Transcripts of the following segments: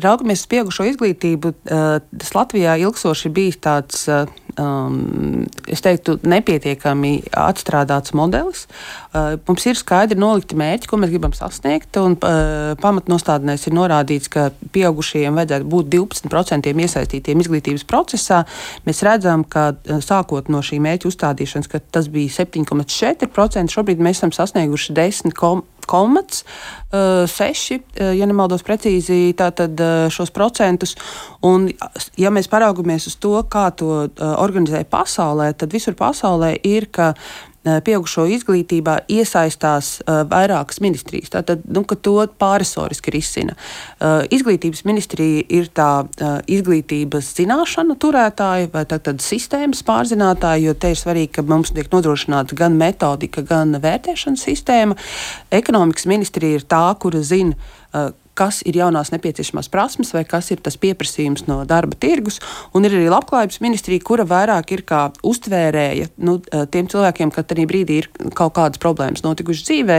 Raugamies uz pieaugušo izglītību, tas Latvijā ilgstoši ir bijis tāds, es teiktu, nepietiekami atstrādāts modelis. Mums ir skaidri nolikti mērķi, ko mēs gribam sasniegt, un pamatnostādnēs ir norādīts, ka pieaugušajiem vajadzētu būt 12% iesaistītiem izglītības procesā. Mēs redzam, ka sākot no šī mērķa uzstādīšanas, ka tas bija 7,4%, šobrīd mēs esam sasnieguši 10,6, ja nemaldos precīzi, tātad šos procentus. Un, ja mēs paraugamies uz to, kā to organizē pasaulē, tad visur pasaulē ir, ka pieaugušo izglītībā iesaistās vairākas ministrijas. Tātad, ka to pārresoriski risina. Izglītības ministrija ir tā izglītības zināšanu turētāja vai tātad sistēmas pārzinātāja, jo te ir svarīgi, ka mums tiek nodrošināta gan metodika, gan vērtēšanas sistēma. Ekonomikas ministrija ir tā, kura zina, kas ir jaunās nepieciešamās prasmes vai kas ir tas pieprasījums no darba tirgus. Un ir arī labklājības ministrija, kura vairāk ir kā uztvērēja tiem cilvēkiem, ka tajā brīdī ir kaut kādas problēmas notikušas dzīvē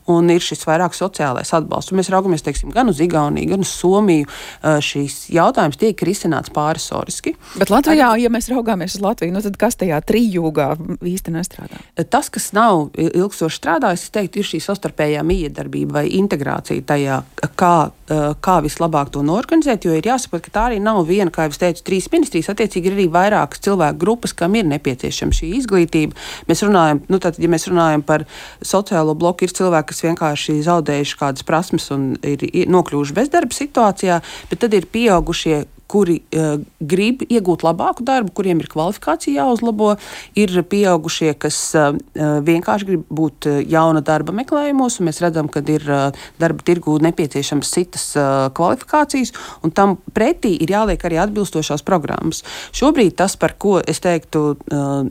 un ir šis vairāk sociālais atbalsts. Un mēs raugamies, teiksim, gan uz Igauniju, gan uz Somiju. Šīs jautājums tiek risināts pārresoriski. Bet Latvijā, ja mēs raugāmies uz Latviju, tad kas tajā trijūgā īsti nestrādā? Tas, kas nav ilgstoši strādājis, es teiktu, ir šī savstarpējā miedarbība vai integrācija tajā, kā vislabāk to norganizēt, jo ir jāsaprot, ka tā arī nav viena, kā jau es teicu, 3 ministrijas, attiecīgi ir arī vairākas cilvēku grupas, kam ir nepieciešama šī izglītība. Mēs runājam, ja mēs runājam par sociālo bloku, ir cilvēki, kas vienkārši zaudējuši kādas prasmes un ir nokļuvuši bezdarba situācijā, bet tad ir pieaugušie, kuri grib iegūt labāku darbu, kuriem ir kvalifikācija jāuzlabo, ir pieaugušie, kas vienkārši grib būt jauna darba meklējumos, un mēs redzam, ka ir darba tirgū nepieciešams citas kvalifikācijas, un tam pretī ir jāliek arī atbilstošās programmas. Šobrīd tas, par ko es teiktu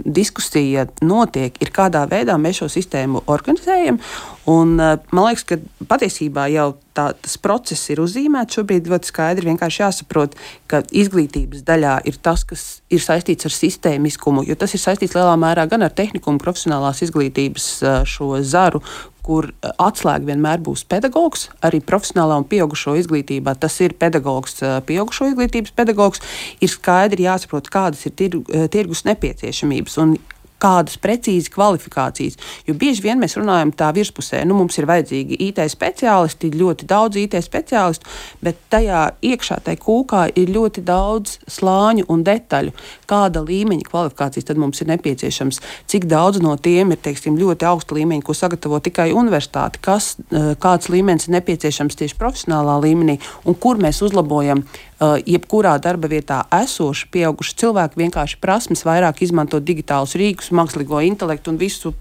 diskusija notiek, ir kādā veidā mēs šo sistēmu organizējam, un man liekas, ka patiesībā jau tas process ir uzzīmēts. Šobrīd ļoti skaidri vienkārši jāsaprot, ka izglītības daļā ir tas, kas ir saistīts ar sistēmiskumu, jo tas ir saistīts lielā mērā gan ar tehnikumu profesionālās izglītības šo zaru, kur atslēga vienmēr būs pedagogs, arī profesionālā un pieaugušo izglītībā. Tas ir pedagogs, pieaugušo izglītības pedagogs. Ir skaidri jāsaprot, kādas ir tirgus nepieciešamības un kādas precīzi kvalifikācijas. Jo bieži vien mēs runājam tā virspusē, mums ir vajadzīgi IT speciālisti, ļoti daudz IT speciālistu, bet tajā iekšā, tai kūkā ir ļoti daudz slāņu un detaļu. Kāda līmeņa kvalifikācijas tad mums ir nepieciešams? Cik daudz no tiem ir, teiksim, ļoti augsta līmeņa, ko sagatavo tikai universitāte? Kāds līmenis ir nepieciešams tieši profesionālā līmenī un kur mēs uzlabojam jebkurā darba vietā esoši pieauguši cilvēki vienkārši prasmes vairāk izmantot digitālus rīkus, mākslīgo intelektu un visu.